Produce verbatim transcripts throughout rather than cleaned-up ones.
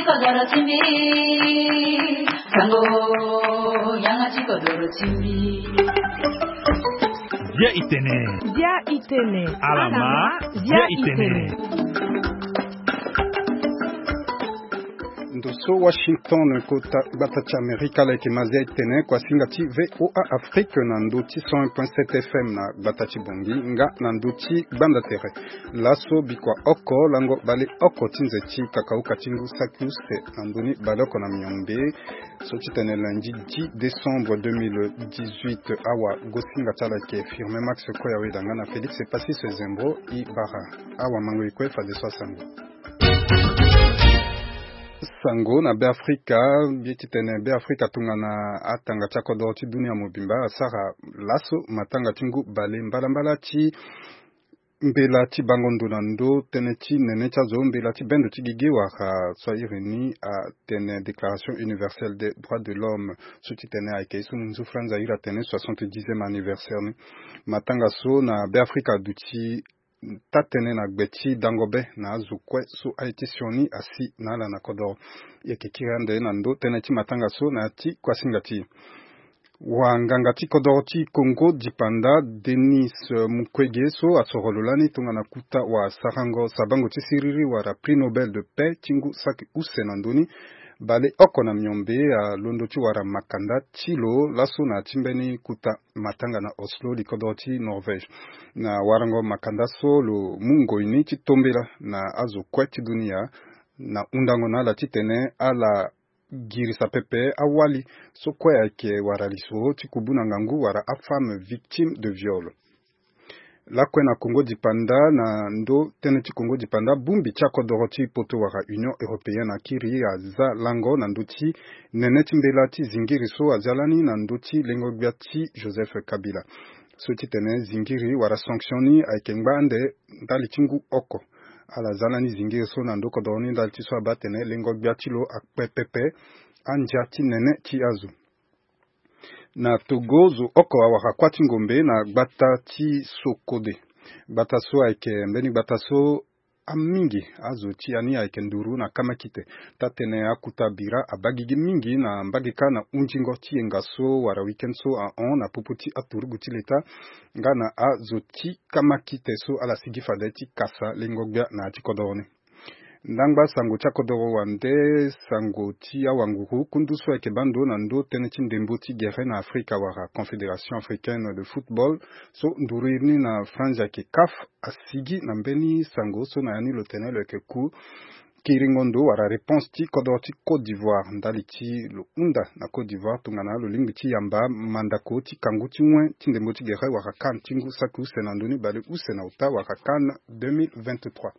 Dia itene. Dia itene. Alama. Dia itene. Ndo so Washington, kota gbata ti Amerika, ala yeke ma Dia itene, kuasinga ti V O A Afrique na ndo ti cent un point sept F M na gbata ti Bongi, nga na ndo ti Gbanda Tere. Laso bikua oko lango bale oko ti nze ti kakauka ti ngu saki use na ndoni baleoko na miombe, so ti tene lundi dix décembre deux mille dix-huit. Awa gosinga ti ala yeke Firmin Max Koya Weda nga na Félix Passis Zembo i bara. Awa mango e kue fadeso asango. Sango na Beafrika. Mbi ye ti tene Beafrika tongana atanga ti akodoro ti dunia mobimba asara laso matanga ti ngu bale mbalambala ti mbela ti bango ndo na ndo tënë ti nene ti azo, mbela ti bendo ti gigi wala so a iri ni atene Déclaration universelle des droits de l'homme, so ti tene ayeke ye so munzu Franz a iri atene soixante-dixième anniversaire ni. Matanga so na Beafrika aduti taa-tënë na gbe ti dango be na azo kue so aye ti sioni asi na ala na kodoro. E yeke kiri ande na ndo tënë ti matanga so na ya ti kuasinga ti e. Wanganga ti kodoro ti Congo dipanda, Denis Mukwege, so asoro lo lani tongana kuta wasarango sabango ti siriri wala Prix Nobel de Paix ti ngu saki use na ndoni baleoko na miombe, alondo ti wara makanda ti lo laso na ya ti mbeni kuta matanga na Oslo, likodoro ti Norvège. Na warango makanda so lo mu ngoi ni ti tombela na azo kue ti dunia na hundango na ala titene ala girisa pepe awali so kue ayeke wara lisoro ti kubu na ngangu wala afemme victime de viol. Lakue na Congo dipanda, na ndo tënë ti Congo dipanda, bongbi ti akodoro ti poto wala Union européenne akiri aza lango na ndö ti nene ti mbela ti zingiri so azia lani na ndö ti lengo-gbia ti Joseph Kabila. So ti tene zingiri wala sanction ni ayeke ngba ande ndali ti ngu oko. Ala za lani zingiri so na ndö kodoro ni ndali ti so abaa atene lengo-gbia ti lo akpe pepe andia ti nene ti azo. Na Togo, zo oko awara kuâ ti ngombe na gbata ti Sokode. Gbata so ayeke mbeni gbata so amingi azo ti ya ni ayeke nduru na kamakite. Taa-tënë akuta bira abaa gigi mingi na mbage kâ na hunzingo ti yenga so wala week-end so ahon na popo ti aturugu ti leta nga na azo ti kamakite so ala sigi fade ti kasa lengo-gbia na ya ti kodoro ni. Ndangba sango ti akodoro wande, sango ti awanguru, kundu so ayeke baa ndo na ndö tënë ti ndembo ti gere na Afrika wala Confédération africaine de football, so nduru iri ni na Franzi ayeke CAF, asigi na mbeni sango so na ya ni lo tene lo yeke ku kiringo ndo wala réponse ti kodoro ti Côte d'Ivoire ndali ti lo hunda na Côte d'Ivoire tongana lo lingbi ti yamba mandako ti kangu ti wen ti ndembo ti gere wala CAN ti ngu saki use na ndö ni bale use na ota wala CAN deux mille vingt-trois.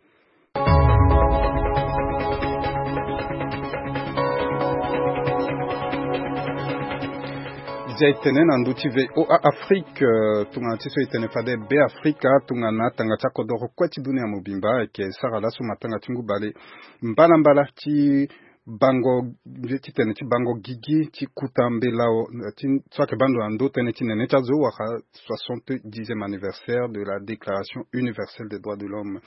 Zia e tene na ndö ti V O A Afrique, euh, tongana ti so e tene fade Beafrika, tongana tanga ti akodoro kue ti dunia mobimba ayeke sara laso matanga ti ngu bale mbalambala ti bango, ti tene ti bango gigi ti kuta mbela ti so ayeke baa ndo na ndö tënë ti nene ti azo wala soixante-dixième anniversaire de la Déclaration universelle des droits de l'homme.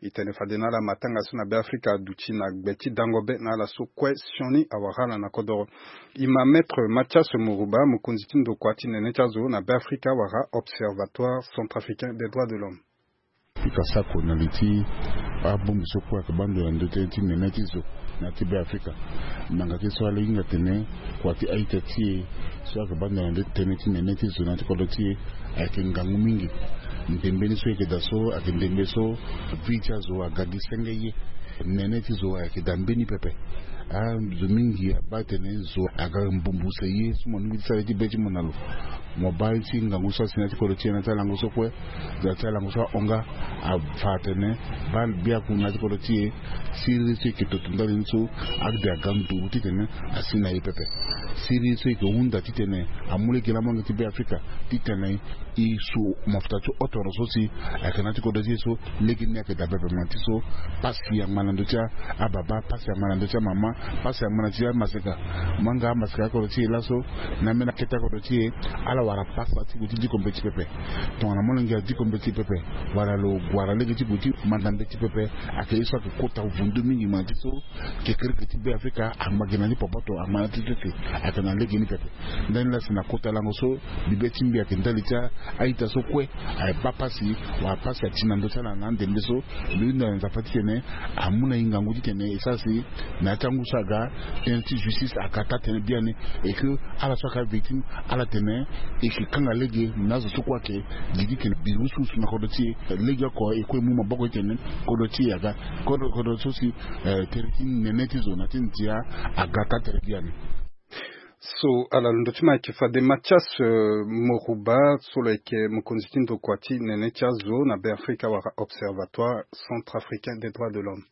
E tene fade na ala matanga so na Beafrika aduti na gbe ti dango be na ala so kue sioni awara ala na kodoro. E ma Maître Mathias Mourouba, mokonzi ti ndokua ti nene ti azo na Beafrika wala Observatoire centrafricain des droits de l'homme. Fika sako na li ti abongbi so kue ayeke baa ndo na ndö tënë ti nene ti zo na ya ti Beafrika. Nanga ti so ala hinga atene kua ti a-ita ti e so ayeke baa ndo na ndö tënë ti nene ti zo na ya ti kodro ti e ayeke ngangu mingi. Ndembe ni so e yeke daa so ayeke ndembe so vie ti azo aga gi senge ye. Nene ti zo ayeke daa mbeni pepe. Azo mingi abaa atene zo aga mbumbu se ye so mo lingbi ti sara ye ti be ti mo na lo. Mo baa ye ti ngangu so asi na ya ti kodro ti e na ya ti alango so kue. Za ti alango so ahon nga afa atene baa biaku na ya ti kodro ti e. Siriri so e yeke toto ndali ni so ade aga nduru titene asi na e pepe. Siriri so e yeke hunda titene amu lege na molenge ti Beafrika titene e su mafuta ti otoro so si ayeke na ya ti kodro ti e so lege ni ayeke daa pepe ma ti so pasi angba Na ndö ti ababa, pasi ama na ndö ti amama, pasi ama na ti amaseka. Mo yanga amaseka kodro ti e laso, na ambeni akete kodro ti e, ala wara pasa ti gue ti dikombe ti pepe. Tongana mo na ngia dikombe ti pepe, wala lo wara lege ti gue ti manda mbe ti pepe, ayeke ye so ayeke kota vundu mingi, ma ti so kekereke ti Beafrika ama gi na ni popoto, ama na ti tete, ayeke na lege ni pepe. Ndani laa si na kota lango so, bibe ti mbi ayeke ndali ti a-ita so kue aye baa pasi, wala pasi ati na ndö ti ala na andembe so. Mbi hunda na Nzapa titene amu na e ngangu titene e sara si na ya ti angu so aga, tënë ti justice aga taa tënë biani, et que ala so ayeke avictime, ala tene e yeke kanga lege na azo so kue ayeke gi titene bi wusuwusu na kodro ti e. Lege oko e kue e mu maboko titene kodro ti e aga, kodro, kodro so si, eh, tere ti nene ti zo na ti ndia aga taa tere biani. So ala londo ti ma ayeke fade Mathias, eh, Moruba, so lo yeke mokonzi ti ndokua ti nene ti azo na Beafrika wala Observatoire Centrafricain des Droits de l'Homme.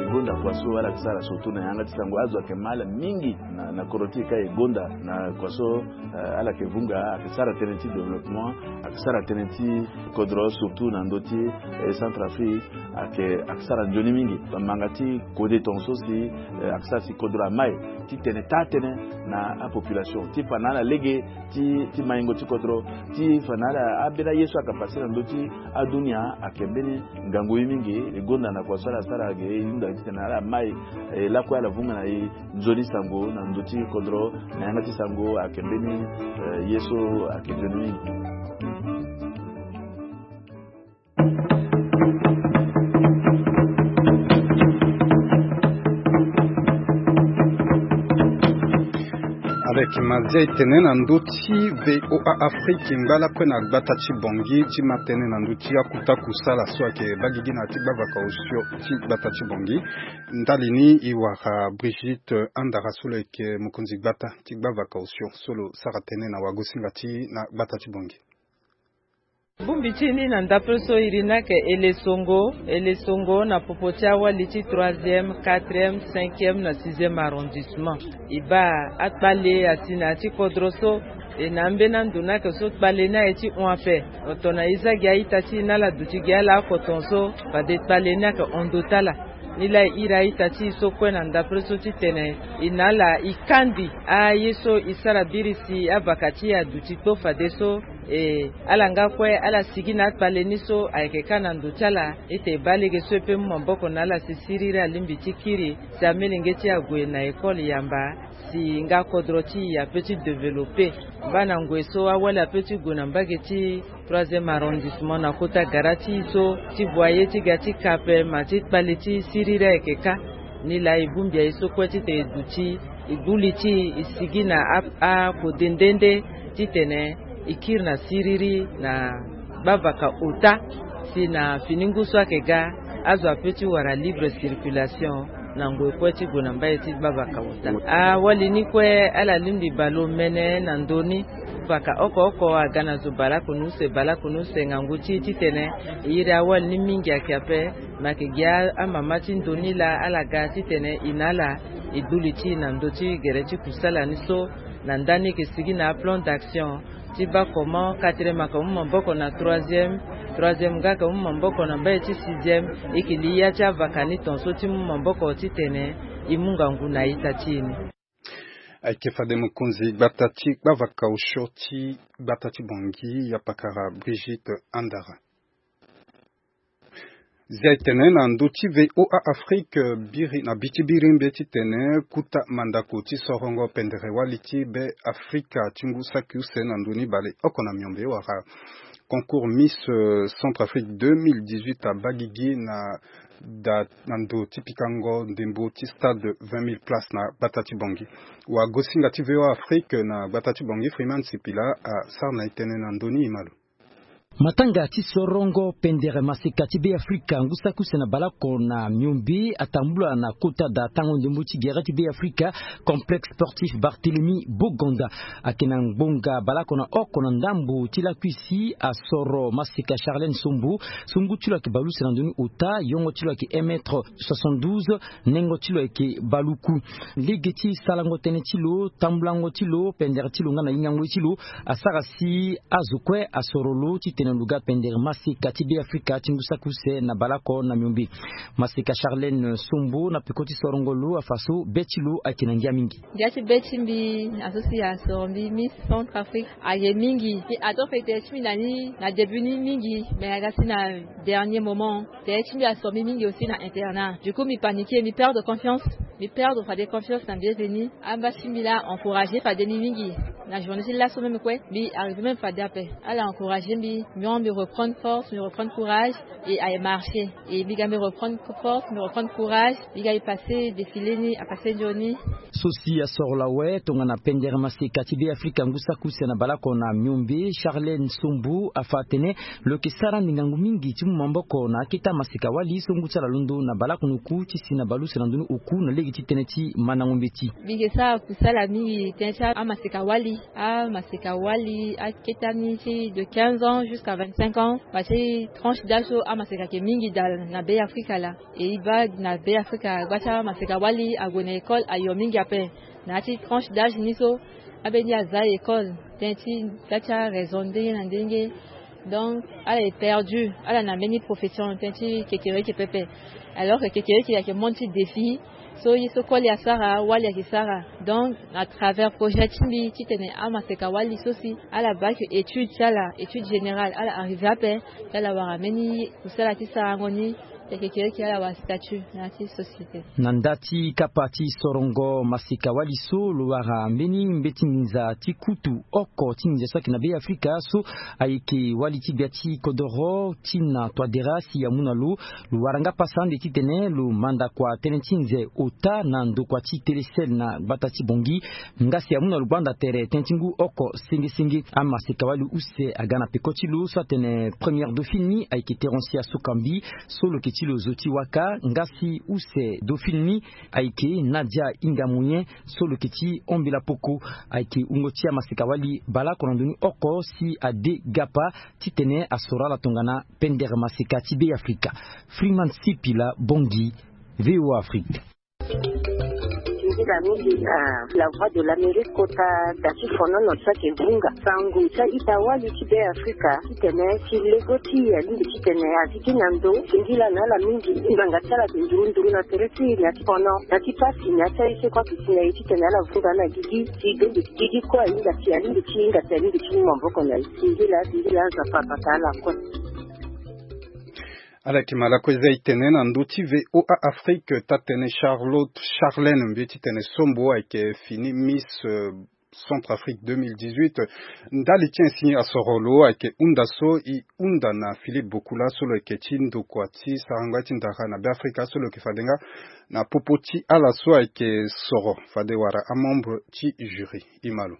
E gonda kua so ala yeke sara surtout na yanga ti sango, azo ayeke mal mingi na, na kodro ti e ka e gonda na kua so, eh, ala yeke vunga, ayeke sara tënë ti développement, ayeke sara tënë ti kodro, surtout na ndö ti, eh, Centrafrique, ayeke, ayeke sara nzoni mingi. Manga ti kode tongaso si, eh, ayeke sara si kodro amai, titene taa tënë na apopulation, ti fa na ala lege ti, ti maingo ti kodro, ti fa na ala ambeni aye so ayeke pase na ndö ti adunia, ayeke mbeni ngangu ye mingi. E gonda na kua so ala sara ge, e hunda titene ala mai, eh, lakue ala vunga na e nzoni sango na ndö ti kodro, na yanga ti sango ayeke mbeni, eh, ye so ayeke nzoni mingi. Avec Mazia e tene na ndö ti V O A Afrique, ngba lakue na gbata ti Bangui ti ma tënë na ndö ti akuta kusala so ayeke baa gigi na ya ti gbavaka osio ti gbata ti Bangui. Ndali ni e wara Brigitte Andara so lo yeke mokonzi gbata ti gbavaka osio so lo sara tënë na wagosinga ti e na gbata ti Bangui. Bongbi ti ni na ndapre so iri ni ayeke ele songo, ele songo na popo ti awali ti troisième, quatrième, cinquième na sixième arrondissement. E baa akpale asi na ya ti kodro so, e na ambeni ando ni ayeke so kpale ni aye ti hon ape. Oto na e za gi a-ita ti e na ala duti gi ala oko ton so, fade kpale ni ayeke hon ndo ti ala. Nilaa e iri a-ita ti e so kue na ndapre so titene e na ala e kandi aye so e sara biri si avaka ti e aduti kpo fadeso, e, ala nga kue ala sigi na akpale ni so ayeke kâ na ndo ti ala, ete e baa lege so e peut mu maboko na ala si siriri alingbi ti kiri si amelenge ti e ague na école yamba, si nga kodro ti e apeut ti développer. Baa na ngoi so awali apeut ti gue na mbage ti troisième arrondissement na kota gara ti e so, ti voyer ti ga ti ka ape, ma ti kpale ti siriri ayeke kâ. Nilaa e bongbi aye so kue titene e duti e gbu li ti e, e sigi na a, akode nde nde titene e kiri na siriri na gbavaka ota, si na fini ngu so ayeke ga azo apeut ti wara libre circulation na ngoi kue ti gue na mbai ti gbavaka ota. Awali ni kue ala lingbi bale omene na ndö ni. Vaka oko oko aga na zo balakunu use, balakunu use ngangu ti e titene e iri awali ni mingi ayeke ape. Ma ayeke gi a, amama ti ndo ni laa ala ga titene e na ala e gbu li ti e na ndö ti gere ti kusala ni so, na ndani e yeke sigi na aplan d'action ti baa comment quatrième ayeke mu maboko na troisième, troisième nga ayeke mu maboko na mbai ti sixième. E yeke li ya ti avaka ni ton so ti mu maboko titene e mu ngangu na a-ita ti e ni. Ayeke fade mokonzi gbata ti gbavaka osio ti gbata ti Bangui, yapakara Brigitte Andara. Zia e tene na ndö ti V O A Afrique, biri na bi ti biri mbe titene kuta mandako ti sorongo pendere wali ti Be Afrika ti ngu saki use na ndö ni bale oko na miombe wala concours Miss, euh, Centrafrique deux mille dix-huit abaa gigi na da na ndo ti pikango ndembo ti stade vingt mille places na gbata ti Bangui. Wagosinga ti V O A Afrique na gbata ti Bangui, Freeman Sipila, asara na e tënë na ndö ni, e ma lo. Matanga ti sorongo pendere maseka ti Be Afrika ngu saki use na baleoko na miombe atambula na kota da tango ndembo ti gere ti Be Afrika, complexe sportif Barthélemy Boganda. Ayeke na ngbonga baleoko na oko na ndambo ti lakui si asoro maseka Charlène Sombo. So ngu ti lo ayeke bale use na ndö ni ota, yongo ti lo ayeke un mètre soixante-douze, nengo ti lo ayeke baluku. Lege ti sarango tënë ti lo, tambulango ti lo, pendere ti lo nga na hingango ye ti lo asara si azo kue asoro lo titene Lo ga pendere maseka ti Beafrika ti ngu saki use na baleoko na miombe. Maseka Charlène Sombo na peko ti sorongo lo afa so be ti lo ayeke na ngia mingi. Ngia ti be ti mbi na so si asoro mbi Miss Centrafrique aye mingi. Ato fete ti mbi na ni na début ni mingi, mais aga si na dernier moment. Tere ti mbi asoro mbi mingi aussi na internat. Du coup mbi paniquer, mbi perdre confiance. Mbi perdre fade confiance na mbi. Eve ni amba ti mbi laa encourager fade mbi mingi. Na journée ti laso même kue mbi arriver même fade ape. Ala encourager mbi, mbi reprendre force, mbi reprendre courage. Et aye marcher. Et mbi ga mbi reprendre force, mbi reprendre courage. Mbi ga mbi passer défilé ni, apasser nzoni. So si asoro lo awe tongana pendere maseka ti Beafrika ngu saki use na baleoko na miombe, Charlène Sombo afa atene lo yeke sara ande ngangu mingi ti mu maboko na akete amaseka-wali so ngu ti ala alondo na baleoko na oku ti si na baleuse na ndoni oku na lege ti tënë ti mandango mbeti. Mbi yeke sara kusala mingi tënë ti amaseka-wali. Amaseka-wali akete ani ti de quinze ans jusqu'à vingt-cinq ans. Bati tranche d'âge so amaseka ayeke mingi daa na Beafrika laa. E e baa na Beafrika gba ti amaseka-wali ague na école ayo mingi ape. Na ya ti tranche d'âge ni so ambeni aza école tënë ti gba ti araison ndenge na ndenge. Donc ala est perdu, ala na mbeni profession tënë ti kekereke pepe. Alors que kekereke ayeke monde ti défi. So ye so koli asara wali ayeke sara. Donc à travers projet ti mbi titene amaseka-wali so si ala baa ayeke étude ti ala, étude générale, ala arriver ape. Ti ala wara mbeni kusala ti sarango ni. Kekereke ala wara statut na ya ti société. Na nda ti kapa ti sorongo maseka-wali so lo wara mbeni mbeti nginza ti kutu oko ti nginza so ayeke na Beafrika so ayeke wali ti gbia ti kodoro ti na Touadéra si amu na lo. Lo wara nga pasa ande titene lo manda kua tënë ti nze ota na ndokua ti Télécel na gbata ti Bangui. Nga si amu na lo gbanda tere tënë ti ngu oko senge senge. Amaseka-wali use aga na peko ti lo so atene première dauphine ni ayeke Thérentia Sokambi so lo yeke ti lo zo ti waka. Nga si use dauphine ni ayeke Nadia Inga Moyen so lo yeke ti Ombela Poko. Ayeke wungo ti amaseka-wali baleoko na ndoni oko si ade gapa titene asoro ala tongana pendere maseka ti Beafrika. Freeman Sipila, Bangui, VOA Afrique. Nzila mingi na La Voix de l'Amérique kota da ti fonono ti ayeke vunga sango ti a-ita-wali ti Beafrika titene ti lego ti e alingbi titene azi gi na ndo. Singila na ala mingi ngbanga ti ala ayeke nduru nduru na tere ti e na ya ti fono na ya ti pasi na ya ti aye so kue ayeke si na e titene ala vunga na gigi si bende ti gigi kue ahinga si alingbi ti hinga si alingbi ti mu maboko na e. Singila singila Nzapa abata ala kue. Ala yeke ma lakue za e tene na ndö ti VOA Afrique taa-tënë Charlotte Charlène mbi ye titene Sombo ayeke fini Miss Centrafrique deux mille dix-huit. Ndali ti e si asoro lo ayeke hunda so e hunda na Philippe Bokula so lo yeke ti ndokua ti sarango ya ti ndara na Beafrika so lo yeke fade nga na popo ti ala so ayeke soro fade wara amembre ti jury. E ma lo.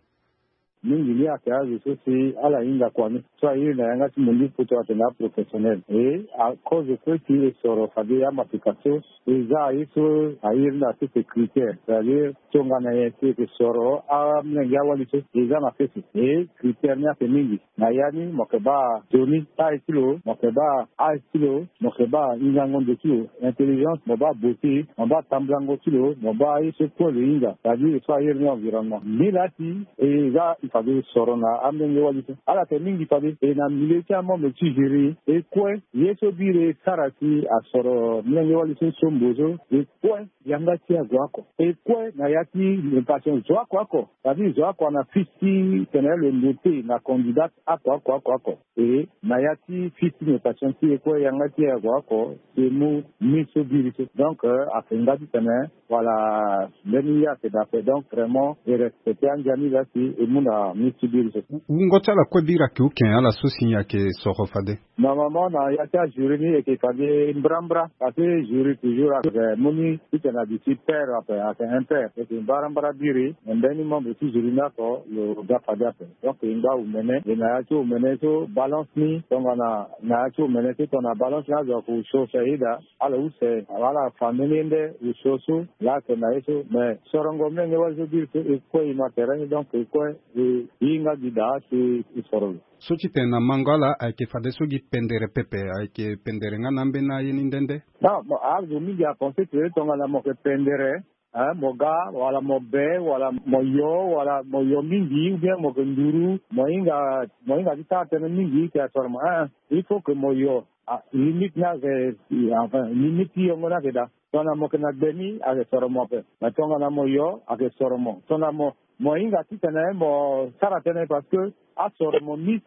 Mingi ni ayeke azo so si ala hinga kua ni so airi na yanga ti mundu poto atene aprofessionnel e akozo kue si e soro fade amaseka so e za aye so airi na sese critère c'est-à-dire tongana nyen si e yeke soro amolenge awali so e za na sese. E critère ni ayeke mingi. Na ya ni mo yeke baa nzoni taille ti lo, mo yeke baa âge ti lo, mo yeke baa hingango ndo ti lo, intelligence, mo baa beauté, mo baa tambulango ti lo, mo baa aye so kue lo hinga c'est-à-dire so airi ni environnement. Mbi laa ti e za fade soro na amolenge wali so ala yeke mingi fade e na milieu ti amembre ti jury e kue ye so biri e sara si asoro molenge wali so Sombo so e kue yanga ti e ague oko e kue na ya ti notation zo oko oko. C'est-à-dire zo oko na fils ti tene lo note na candidate oko oko oko oko. E na ya ti fils ti notation ti e kue yanga ti e ague oko si e mu mi so biri so donc ayeke nga titene voilà mbeni ye ayeke daa ape donc vraiment e respecte andia ni laa si e mu na mi so biri so. Wungo ti ala kue biri ayeke uken ala so si ayeke soro fade. Normalement na ya ti ajury ni e yeke fade mbrambra parce que jury toujours ayeke mu ni titene aduti paire ape ayeke impaire e yeke mbrambra biri. Me mbeni membre ti jury ni oko lo ga fade ape. Donc e ngba omene e na ya ti omene so balance ni tongana na ya ti omene so tongana balance ni azo ayeke osio osio aye daa. Ala use ala fa mbeni ye nde osio so laa ayeke na ye so mais sorongo menge wali so biri so e kue e ma tere ni donc e kue e hinga gi daa si e soro lo. So titene na mango ala ayeke fadeso gi pendere pepe ayeke pendere nga na ambeni aye ni nde nde. Non bon azo mingi apense tene tongana mo yeke pendere Hein, mo ga wala mo be wala mo yo wala mo yo mingi ou bien mo ke nduru, mo hinga, mo hinga ti sara tënë mingi ti asoro mo. Hein, il faut que mo yo. Ah, limite ni ayeke, enfin, limite ti yongo ni ayeke daa. Tongana mo yeke na gbe ni ayeke soro mo ape. Mais tongana mo yo ayeke soro mo. Tongana mo, mo hinga titene mo sara tënë parce que asoro mo, Miss,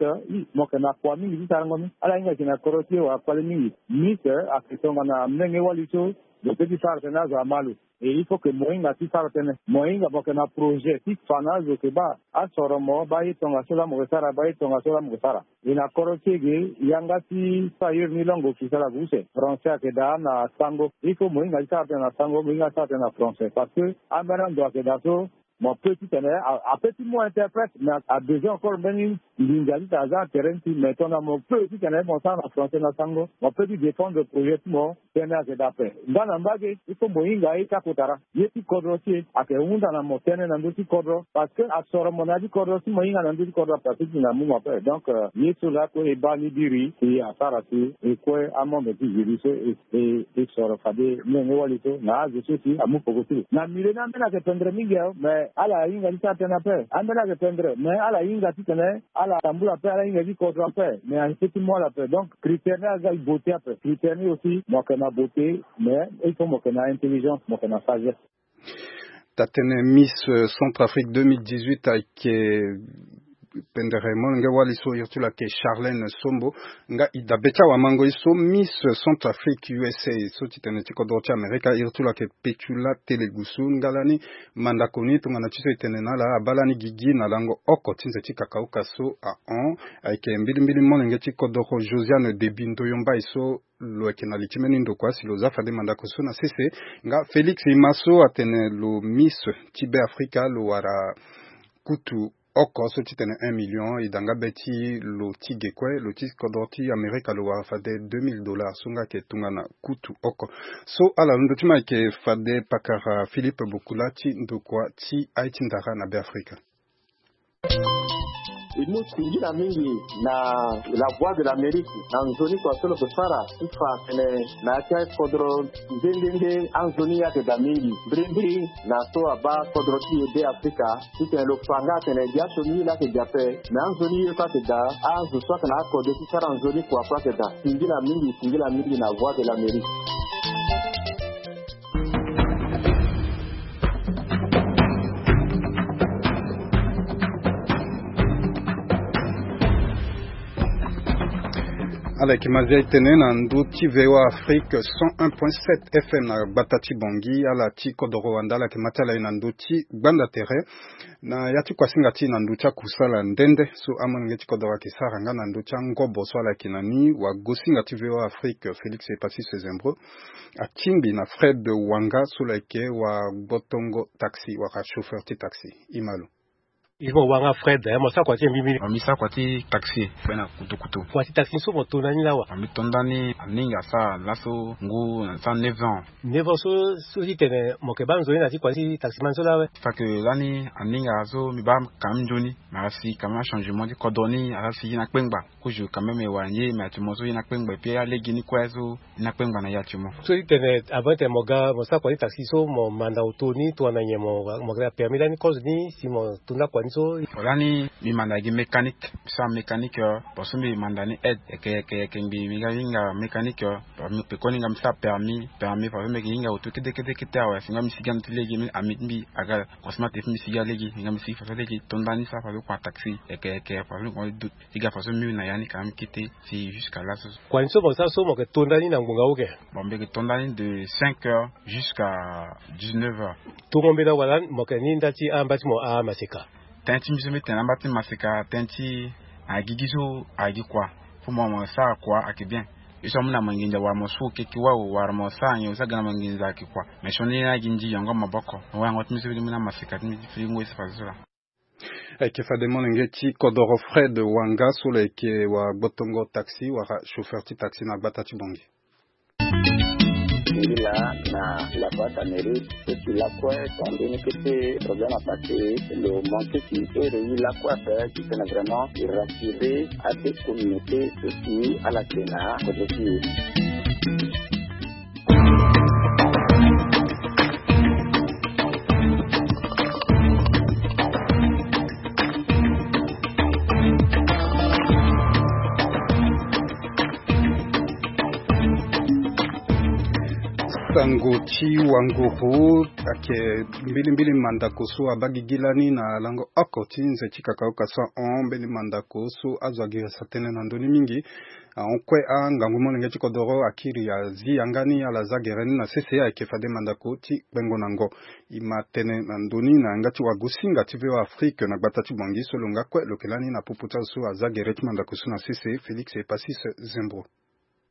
mo yeke na kua mingi ti sarango ni. Ala hinga yeke na kodro ti e wala kpale mingi. Miss ayeke tongana molenge wali so lo peut ti sara tënë azo ama lo. Et il faut que mo hinga ti sara tënë. Mo hinga mo yeke na projet ti fa na azo yeke baa asoro mo, baa ye tongaso laa mo yeke sara, baa ye tongaso laa mo yeke sara. E na kodro ti e ge, yanga ti ailleurs ni langue officielle ayeke use. Français ayeke daa na sango. Il faut mo hinga ti sara tënë na sango, mo hinga ti sara tënë na français. Parce que ambeni ando ayeke daa so, mo peut titene a, a peut ti mu interprète, mais a besoin encore mbeni nginza titene aza na terrain ti, mais tongana mo peut titene mo sara na français na sango, mo peut ti défendre projet ti mo. Tënë ayeke daa ape. Nga na mbage, il faut mo hinga ye ti akotara. Ye ti kodro ti e ayeke hunda na mo tënë na ndö ti kodro. Parce que asoro mo na ya ti kodro, si mo hinga na ndö ti kodro ape, a peut ti na mu mo ape. Donc, euh, ye so laa kue e baa ni biri si asara si e kue amembre ti jury so e, e, e soro fade molenge wali so na azo so si amu peko ti lo. Na milieu ni ambeni ayeke pendre mingi awe, mais ala hinga ti sara tënë ape. Ambeni ayeke pendre, mais ala hinga titene ala tambula ape, ala hinga ti kodro ape, mais a peut ti mu ala ape. Donc, critère ni aga beauté ape. Critère ni aussi, mo yeke na beauté, mais il faut mo yeke na intelligence, mo yeke na sagesse. Taa tënë Miss, euh, Centrafrique deux mille dix-huit ayeke pendere molenge wali so iri ti lo ayeke Charlène Sombo. Nga e dabe ti awamango ye so Miss Centrafrique U S A so ti tene ti kodro ti Amerika iri ti lo ayeke Petula Telegusu. Nga lani mandako ni tongana ti so e tene na ala abaa lani gigi na lango oko ti nze ti kakauka so ahon. Ayeke mbilimbili molenge ti kodoro Josiane Debi Ndoyo Mbai so lo yeke na li ti mbeni ndokua si lo za fade mandako so na sese. Nga Félix Ima so atene lo Miss ti Be Afrika lo wara kutu oko so ti tene un million, e da nga be ti lo ti ge kue, lo ti kodro ti Amerika lo wara fade deux mille dollars so nga ayeke tongana kutu oko. So ala londo ti mo ayeke fade pakara Philippe Bokula ti ndokua ti aye ti ndara na Be Afrika. E mu singila mingi na La Voix de l'Amérique na nzoni kua so lo yeke sara ti fa atene na ya ti akodro nde nde nde anzoni ayeke daa mingi. Mbirimbiri na so abaa kodro ti e Be Afrika, titene lo fa nga atene gi asioni ye laa ayeke gi ape, me anzoni ye so ayeke daa, azo so ayeke na akode ti sara nzoni kua kue ayeke daa. Singila mingi, singila mingi na Voix de l'Amérique. Ala yeke mazia e tene na ndö ti V O A Afrique cent un point sept F M na gbata ti Bangui. Ala ti kodoro wanda ala yeke ma ti ala ye na ndö ti gbanda tere na ya ti kuasinga ti e na ndö ti akusala nde nde so amolenge ti kodoro ayeke sara nga na ndö ti angobo so ala yeke na ni. Wagosinga ti V O A Afrique Félix Epacis Sezembro atingbi na Fred Wanga so lo yeke wagbotongo taxi wala chauffeur ti taxi. Ima lo. Il faut wanga Fred, eh, mo sara kua ti e mbi mbi. Mo mbi sara kua ti taxi, be na kutu kutu. Kua ti taxi so mo to ndani lawa? Mo mbi to ndani aninga asara laso ngu na sara neuf ans. Neuf ans so, so ti tene mo yeke baa nzoni na ti kua ti taximan so lawa? Fa ke lani aninga so mbi baa quand même nzoni, mais asi quand même achangement ti kodro ni, asi ye ni akpengba. Kozo quand même e wara nyen, mais actuellement so ye ni akpengba, et puis alege ni kue so ye ni akpengba na ye actuellement. So ti tene avant ti tene mo ga mo sara kua ti taxi so mo manda auto ni tongana nyen, mo, mo yeke na permis lani kozo ni si mo to nda kua ni so? Lani mbi manda gi mécanique, mbi sara mécanique, euh, parce que mbi manda ni aide, yeke, yeke, yeke mbi, mbi ga hinga mécanique, euh, parce que mbi pekoni nga mbi sara permis, permis, parce que mbi yeke hinga auto kete, kete, kete awe, si nga mbi sigi ande ti lege, mbi, ami ti mbi aga, croisement ti mbi sigi alege, nga mbi sigi faso alege, to ndani sara faso kua taxi, yeke, yeke, faso kua doute. Ti ga faso mbi na ya ni quand même kete si jusqu'à là so. Kua ni so mo sara so mo yeke to ndani na ngbonga wu ke? Bon, mbi yeke to ndani de cinq heures jusqu'à dix-neuf heures. Tongo mbela wala mo yeke ni nda ti amba ti mo amaseka? Tënë ti mbi so mbi tene amba ti maseka, tënë ti na gigi so ayeke gi kua. Fo mo, mo sara kua ayeke bien. Ye so amu na mo nginza wala mo su keke wawu wala mo sara nyen, mo sara ga na mo nginza ayeke kua. Mais sioni ni na gi nzi yongo maboko. Mo wayango ti mbi so mbi na maseka ti mbi ti firi ngoi so faso so laa. Ayeke fade molenge ti kodoro Fred Wanga so lo yeke wagbotongo taxi wala chauffeur ti taxi na gbata ti Bangui. Singila na La Voix d'Amérique, so si lakue tongana mbeni kete problème apassé, lo manqué ti ere ye lakue ape, titene vraiment e rassurer ade communauté so si ala yeke na kodro ti e. Ngo ti wanguru ayeke mbilimbili mandako so abaa gigi lani na lango oko ti nze ti kakaoka so ahon mbeni mandako so azo agirisa tënë na ndö ni mingi. Ahon kue angangu molenge ti kodoro akiri azi yanga ni ala za gere ni na sese ayeke fade mandako ti kpengo na ngo. E ma tene na ndö ni na yanga ti wagosinga ti V O A Afrique na gbata ti Bangui so lo nga kue lo yeke lani na popo ti azo so aza gere ti mandako so na sese, Félix Epasis Zembro.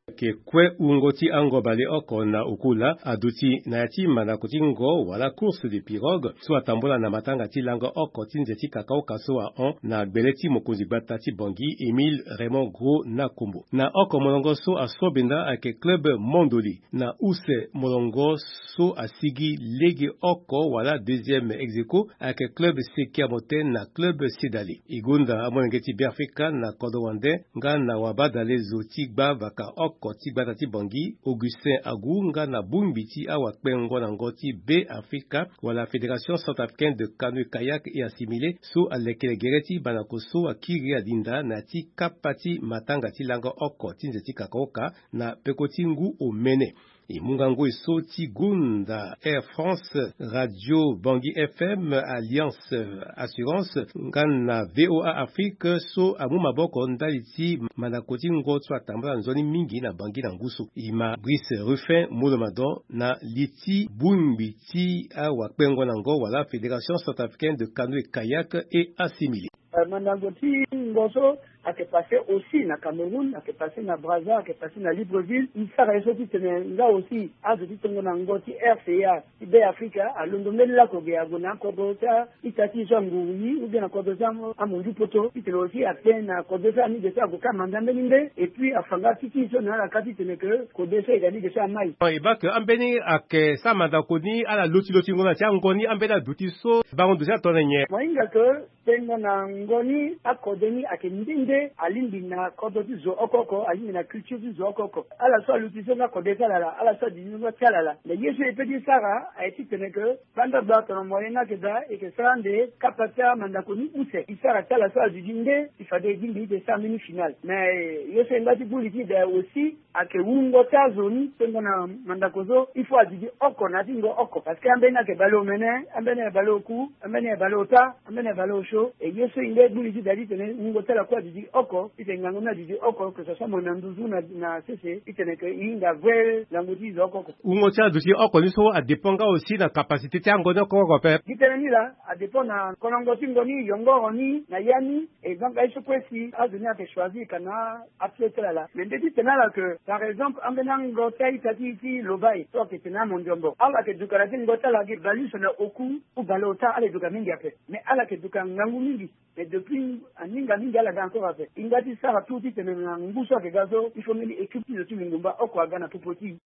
Ayeke kue wungo ti ango baleoko na oku laa aduti na ya ti mandako ti ngo wala course de pirogue so atambula na matanga ti lango oko ti nze ti kakaoka so ahon na gbele ti mokonzi gbata ti Bangui, Émile Raymond Gros Nakombo. Na oko molongo so asobenda ayeke club Mondoli. Na use molongo so asigi lege oko wala deuxième ex aequo ayeke club Sekia Moten na club Sedale. E gonda amolenge ti Beafrika na kodro wande nga na wabadalezo ti gbavaka oko ti gbata ti Bangui, Augustin Agu, nga na bongbi ti awakpengo na ngo ti Beafrika wala Fédération Centrafricaine de Canoë Kayak et Assimilé so alekere gere ti mandako so akiri adinda na ya ti kapa ti matanga ti lango oko ti nze ti kakaoka na peko ti ngu omene. E mu ngangu e so ti gonda Air France, Radio Bangui F M, Alliance Assurance nga na V O A Afrique so amu maboko ndali ti mandako ti ngo so atambula nzoni mingi na Bangui na ngu so. E ma Brice Ruffin Molomadon na li ti bongbi ti awakpengo na ngo wala Fédération Centrafricaine de Canoë Kayak et Assimilé. Eh, mandango ti ngo so ayeke passé aussi na Cameroun, ayeke passé na Brazza, ayeke passé na Libreville. E sara ye so titene nga aussi azo ti tongo na ngo ti R C A ti Beafrika alondo mbeni laoko ge ague na akodro ti a-ita ti e so anguru ni ou bien na kodro ti a-, amondiu poto titene aussi atene na kode so amige so ague ka manda mbeni nde. Et puis afa nga ti ti e so na ala ka titene ke kode so e ga ni ge so amai. E baa ke ambeni ayeke sara mandako ni ala loti lotingo na ti ango ni ambeni aduti so bango duti atongana nyen? Mo hinga ke Tengo na ngo ni akode ni ayeke nde nde alingbi na kodro ti zo oko oko, alingbi na culture ti zo oko oko. Ala so aluti so nga kode ti ala laa, ala so aduti so nga ti ala laa. Mais ye so e peut ti sara aye titene ke banda gba tongana moyen nga ayeke daa, e yeke sara ande kapa ti amandako ni use. E sara ti ala so aduti nde, e fade e lingbi ti sara mbeni finale. Mais ye so e nga ti buli ti e daa aussi, ayeke wungo ti azo ni, tengo na mandako so, il faut aduti oko na ya ti ngo oko. Parce que ambeni ayeke baleomene, ambeni ayeke baleoku, ambeni ayeke baleota, ambeni ayeke baleosio. E ye so e nga e buli ti daa titene wungo ti ala kue aduti oko, titene ngangu ni aduti oko, que ce soit mo na nduzu na, na sese, titene ke e hinga vue ngangu ti zo oko oko. Wungo ti aduti oko ni so adépend nga aussi na capacité ti ango ni oko oko ape. Gi tënë ni laa, adépend na kolongo ti ngo ni, yongoro ni, na ya ni, et donc aye so kue si azo ni ayeke choisir ka na apied ti ala laa. Mais nde ti tene ala ke, par exemple, ambeni ango ti a-ita ti, ti Lobaye so ayeke tene amondiombo, ala yeke duka na ya ti ngo ti ala gi baleuse na oku ou baleota, ala yeke duka mingi ape. Mais ala yeke duka ngangu mingi. Mais depuis aninga mingi ala ga encore ape. E nga ti sara tout titene na ngu so ayeke ga so, il faut mbeni équipe ti zo ti lingomba oko aga na popo ti e.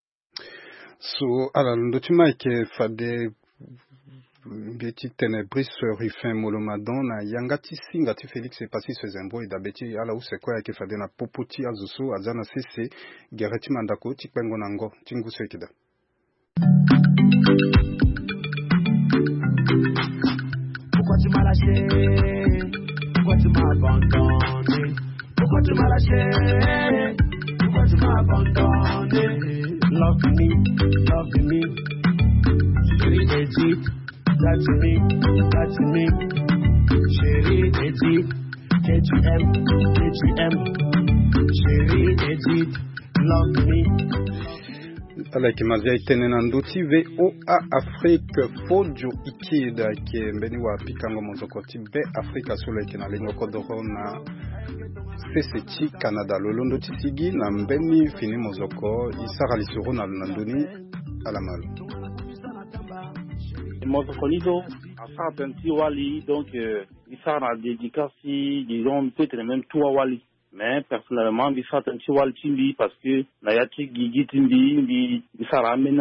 So ala londo ti ma ayeke fade mbi ti tene Brice Ruffin Molomadon na yanga ti singa ti Félix Epasis Zembro. E dabe ti ala use kue ayeke fade na popo ti azo so aza na sese gere ti mandako ti kpengo na ngo ti ngu so ayeke daa. Pourquoi tu m'as lâché? Pourquoi tu m'as abandonné? Pourquoi tu m'as lâché? Pourquoi tu m'as abandonné? Love me, love me. Chérie Edith, touch me, touch me. Chérie Edith, K T M, K T M. Chérie Edith, love me. Ala yeke ma zia e tene na ndö ti V O A Afrique. Fodio Ikid ayeke mbeni wapikango mozoko ti Beafrika so lo yeke na lingo kodoro na sese ti Canada. Lo londo ti sigi na mbeni fini mozoko. E sara lisoro na lo na ndö ni. Ala ma lo. Mozoko ni so asara tënë ti wali, donc, euh, e sara na dédicace ti, disons, peut-être même trois wali. Mais personnellement mbi sara tënë ti wali ti mbi parce que na ya ti gigi ti mbi, mbi, mbi sara ambeni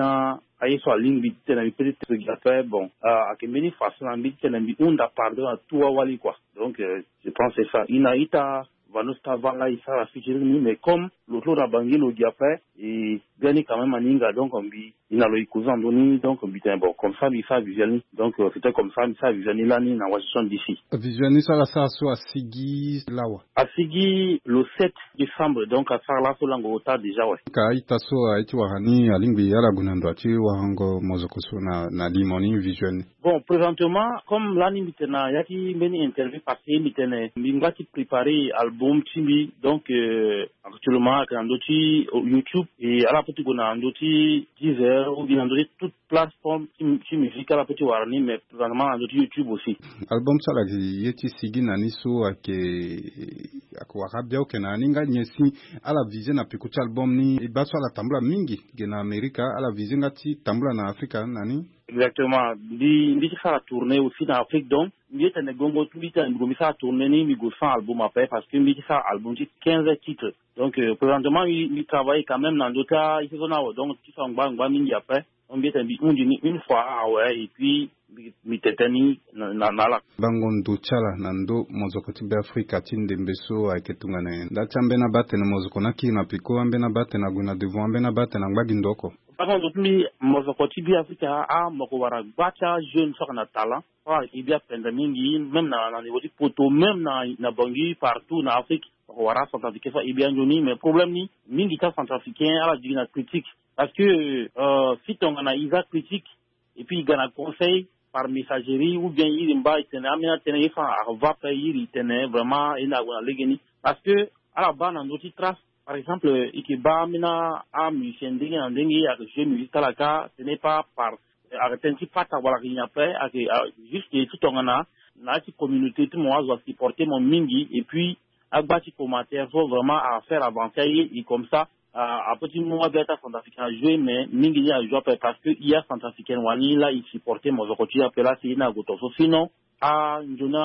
aye so alingbi titene mbi peut ti gi ape. Bon, euh, ayeke mbeni façon na mbi titene mbi hunda pardon na tout awali, quoi. Donc, euh, je pense c'est ça. E na ita Vanos Tavala e sara featuring ni, mais comme lo ti lo na Bangui lo gi après. E biani quand même aninga, donc mbi e na lo e causer na ndö ni, donc mbi tene bon, comme ça mbi sara visuel ni. Donc euh, c'était comme ça mbi sara visuel ni lani na Washington D C. Visuel ni so ala sara so asigi lawa? Asigi le sept décembre, donc asara laso lango ota déjà, ouais. Ka a-ita so aye ti wara ni alingbi ala gue na ndo ti warango mozoko so na, na limo ni visuel ni? Bon, présentement, comme lani mbi tene na ya ti mbeni interview passé, mbi tene mbi ngba ti préparer album ti mbi. Donc euh, actuellement ayeke na ndö ti YouTube, et ala peut ti gue na ndö ti Deezer ou bien na ndö ti toute plateforme ti, ti musique, ala peut ti wara ni, mais présentement na ndö ti YouTube aussi. Album so ala gi ye ti sigi na ni so ayeke, ayeke wara bia, oke na ni nga nyen si ala visé na peko ti album ni? E baa so ala tambula mingi ge na Amerika, ala visé nga ti tambula na Afrika na ni? Exactement. Mbi, mbi ti sara tournée aussi na Afrique, donc mbi ye tene gongo ti mbi tene mbi gue mbi sara tournée ni, mbi gue sans album après, parce que mbi ti sara album ti quinze titres. Donc euh, présentement mbi, mbi travaille quand même na ndö ti a-ita so ni awe, donc ti so angba angba mingi après. Donc mbi ye tene mbi hundi ni une fois awe, et puis mbi, mbi tete ni na, na, na ala. Bango ndo ti ala na ndö mozoko ti Beafrika ti ndembe so ayeke tongana nyen? Nda ti ambeni aba atene mozoko ni akiri na peko, ambeni aba atene ague na devant, ambeni aba atene angba gi ndo oko. Bango ndo ti mbi, mozoko ti Beafrika, a, mo yeke wara gba ti ajeune so ayeke na talent, so ayeke bi apende mingi, même na, na niveau ti poto, même na, na Bangui, partout na Afrique, mo yeke wara acentrafricain so ayeke bi anzoni. Mais problème ni, mingi ti acentrafricain ala digi na critique. Parce que euh, si tongana e za critique, et puis e ga na conseil par messagerie, ou bien iri mba e tene ambeni atënë ye so ayeke va ape, iri e tene vraiment ye ni ague na legeni. Parce que ala baa na ndö ti trace, par exemple, e yeke baa ambeni amusicien ndenge na ndenge ayeke jouer musique ti ala kâ, ce n'est pas par, ayeke tënë ti pata wala ayeke nyen ape, ayeke juste ti tongana na ya ti communauté ti mo azo asupporter mo mingi, et puis agba ti commentaire so vraiment afaire avancer aye, et comme ça a, apeut ti mu abia ti acentrafricain ajoue, mais mingi ni ajoue ape parce que e acentrafricaine wani la e supporter mozoko ti e ape la si e ni ague to so. Sinon anzoni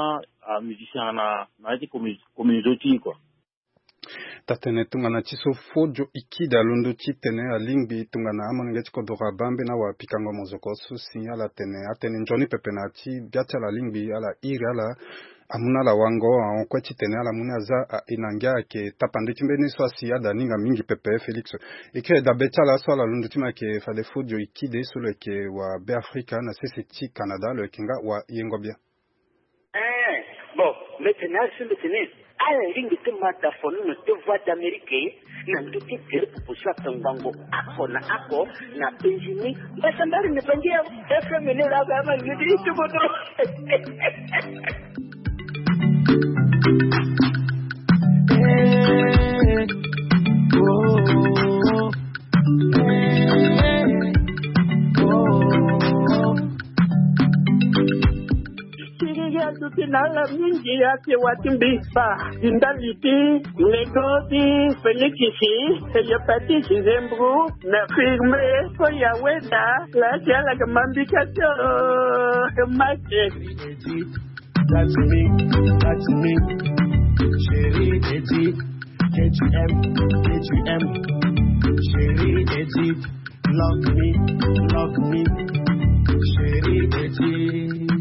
amusicien na, na ya ti commu-, communauté ti e kua. Taa-tënë tongana ti so Fodio Ikide alondo titene alingbi tongana amolenge ti kodoro abaa mbeni awapikango mozoko so si ala tene atene nzoni pepe na ya ti bia ti ala alingbi ala iri ala amu na ala wango ahon kue titene ala mu ni aza aye na ngia ayeke tapande ti mbeni so asi ada aninga mingi pepe Félix. E kiri dabe ti ala so ala londo ti mo ayeke fade Fodio Ikide so lo yeke wa Beafrika na sese ti Canada, lo yeke nga wayengo bia. Eh, bon, mbi tene asi mbi tene ala lingbi ti ma da fono na te Voix d'Amérique na ndö ti tere popo so atongbango oko na oko na penzi ni. Mbasa mbari ni bangi ya F M ni la ba ma ngidi ti bodo. Siriri aduti na ala mingi ake wa ti mbi ba ndali ti lego ti Félix si hepatite zembro na firme so ya weda la ti ala ke mambika ti o make. That's me, that's me. Chérie Edith, K T M, K T M. Chérie Edith, love me, love me. Chérie Edith.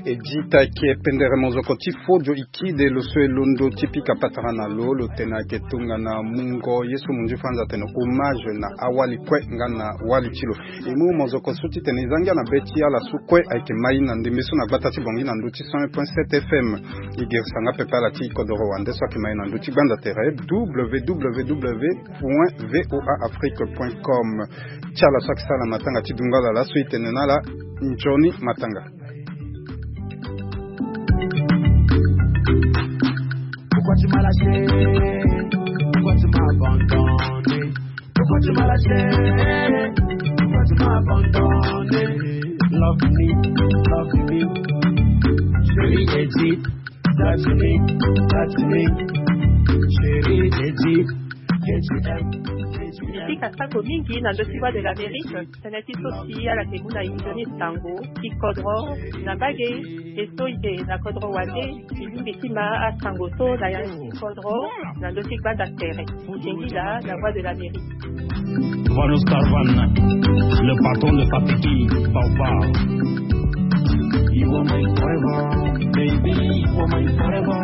Edith ayeke pendere mozoko ti Fodio Ikide, lo so e londo ti pika patara na lo, lo tene ayeke tongana mungo ye so munzu Franz atene hommage na awali kue nga na wali ti lo. E mu mozoko so titene e za ngia na be ti ala so kue ayeke mai na ndembe so na gbata ti Bangui na ndö ti cent un point sept F M. E girisa nga pepe ala ti kodoro wande so ayeke mai na ndö ti gbanda tere w w w point v o a afrique point com. Ti ala so ayeke sara na matanga ti dungo ala laso e tene na ala nzoni matanga. Pourquoi tu m'as lâché? Pourquoi tu m'as abandonné? Pourquoi tu m'as lâché? Pourquoi tu m'as abandonné? Love me, love me. Chérie Edith, touch me, touch me. Chérie Edith, K T M, K T M. Mbi pika sango mingi na ndö ti Voix de l'Amérique. Tënë ti so si ala ke mu na e nzoni sango ti kodro na mbage. E so e yeke na kodro wande, e lingbi ti ma asango so na ya ti kodro na ndö ti gbanda tere. Jengila, la Voix de l'Amérique. Vanos Carvan, le patron de Papiki, Baobab. You are my forever, baby, you are my forever.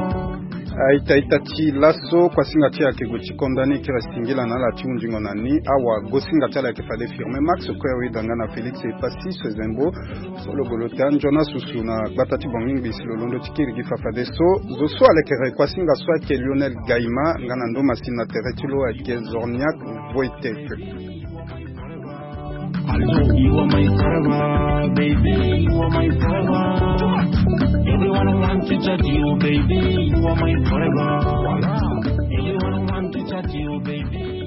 Aita ita ti laso kuasinga ti ayeke gue ti konda ni kiri singila na ala ti hundingo na ni. Awa gosinga ti ala ayeke fade firme Max Kue Weda nga na Félix Epassi Sezembo. So lo gue lo taa nzoni asusu na gbata ti Bangui Ngbisi lo londo ti kiri gi fa fadeso. Zo so alekere kuasinga so ayeke Lionel Gaima nga na ndo masini na tere ti lo ayeke Zorniak Voitek. You are my forever, baby, you are my forever. Everyone want to touch you, baby, you are my forever. Everyone want to touch you, baby.